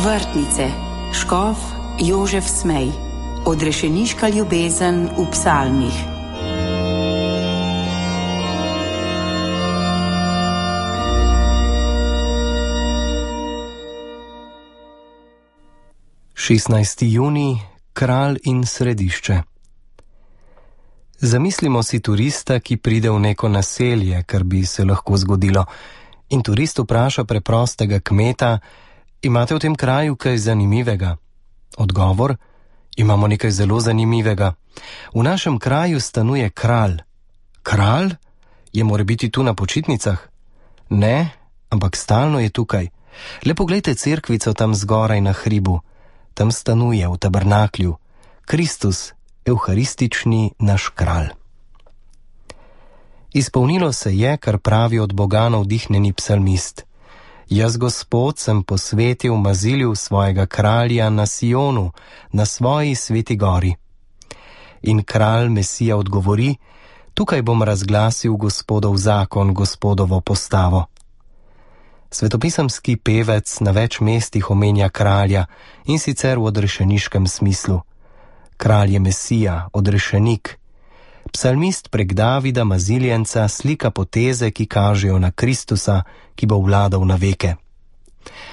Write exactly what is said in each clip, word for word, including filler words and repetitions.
Vrtnice, škof Jožef Smej, odrešeniška ljubezen v psalmih. šestnajsti junij, kralj in središče. Zamislimo si turista, ki pride v neko naselje, kar bi se lahko zgodilo, in turist vpraša preprostega kmeta: imate v tem kraju kaj zanimivega? Odgovor: imamo nekaj zelo zanimivega. V našem kraju stanuje kralj. Kralj? Je morebiti tu na počitnicah? Ne, ampak stalno je tukaj. Le poglejte cerkvico tam zgoraj na hribu. Tam stanuje v tabernaklju Kristus, evharistični naš kralj. Izpolnilo se je, kar pravi od Boga navdihnjeni psalmist: jaz, Gospod, sem posvetil mazilju svojega kralja na Sionu, na svoji sveti gori. In kralj Mesija odgovori: tukaj bom razglasil Gospodov zakon, Gospodovo postavo. Svetopisemski pevec na več mestih omenja kralja, in sicer v odrešeniškem smislu. Kralj je Mesija, odrešenik. Psalmist prek Davida maziljenca slika poteze, ki kažejo na Kristusa, ki bo vladal na veke.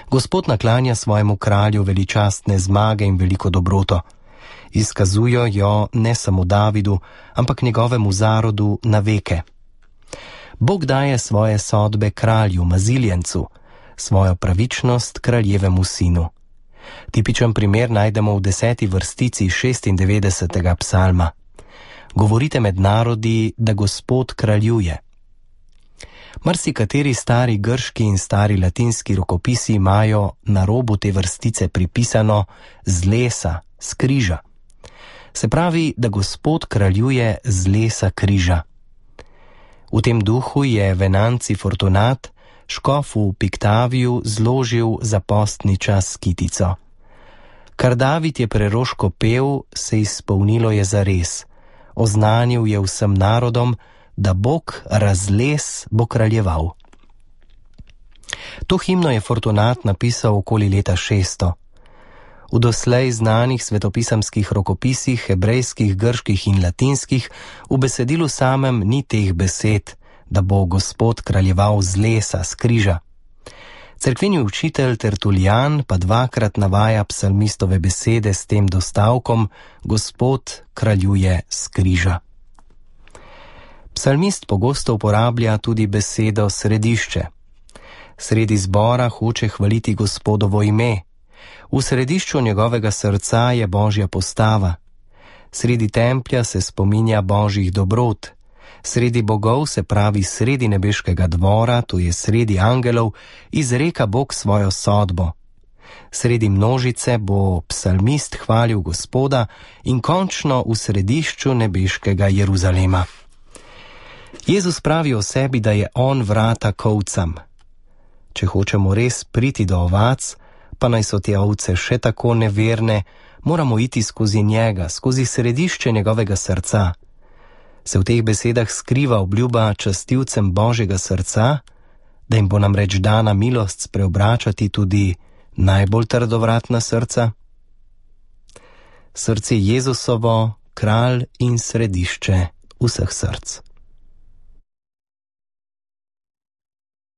Gospod naklanja svojemu kralju veličastne zmage in veliko dobroto. Izkazujo jo ne samo Davidu, ampak njegovemu zarodu na veke. Bog daje svoje sodbe kralju, maziljencu, svojo pravičnost kraljevemu sinu. Tipičen primer najdemo v deseti vrstici šestindevetdesetega psalma. Govorite med narodi, da Gospod kraljuje. Marsikateri stari grški in stari latinski rokopisi imajo na robu te vrstice pripisano z lesa, s križa. Se pravi, da Gospod kraljuje z lesa križa. V tem duhu je Venanci Fortunat škofu v Piktaviju zložil za postni čas kitico. Kar David je preroško pel, se izpolnilo je zares. Oznanil je vsem narodom, da Bog razles bo kraljeval. To himno je Fortunat napisal okoli leta šeststo. V doslej znanih svetopisemskih rokopisih, hebrejskih, grških in latinskih, v besedilu samem ni teh besed, da bo Gospod kraljeval z lesa, s križa. Cerkveni učitelj Tertulijan pa dvakrat navaja psalmistove besede s tem dostavkom: Gospod kraljuje s križa. Psalmist pogosto uporablja tudi besedo središče. Sredi zbora hoče hvaliti Gospodovo ime. V središču njegovega srca je Božja postava. Sredi templja se spominja Božjih dobrot. Sredi bogov, se pravi sredi nebeškega dvora, to je sredi angelov, izreka Bog svojo sodbo. Sredi množice bo psalmist hvalil Gospoda in končno v središču nebeškega Jeruzalema. Jezus pravi o sebi, da je on vrata k ovcam. Če hočemo res priti do ovac, pa naj so te ovce še tako neverne, moramo iti skozi njega, skozi središče njegovega srca. Se v teh besedah skriva obljuba častilcem Božjega srca, da jim bo namreč dana milost spreobračati tudi najbolj trdovratna srca? Srce Jezusovo, kralj in središče vseh src.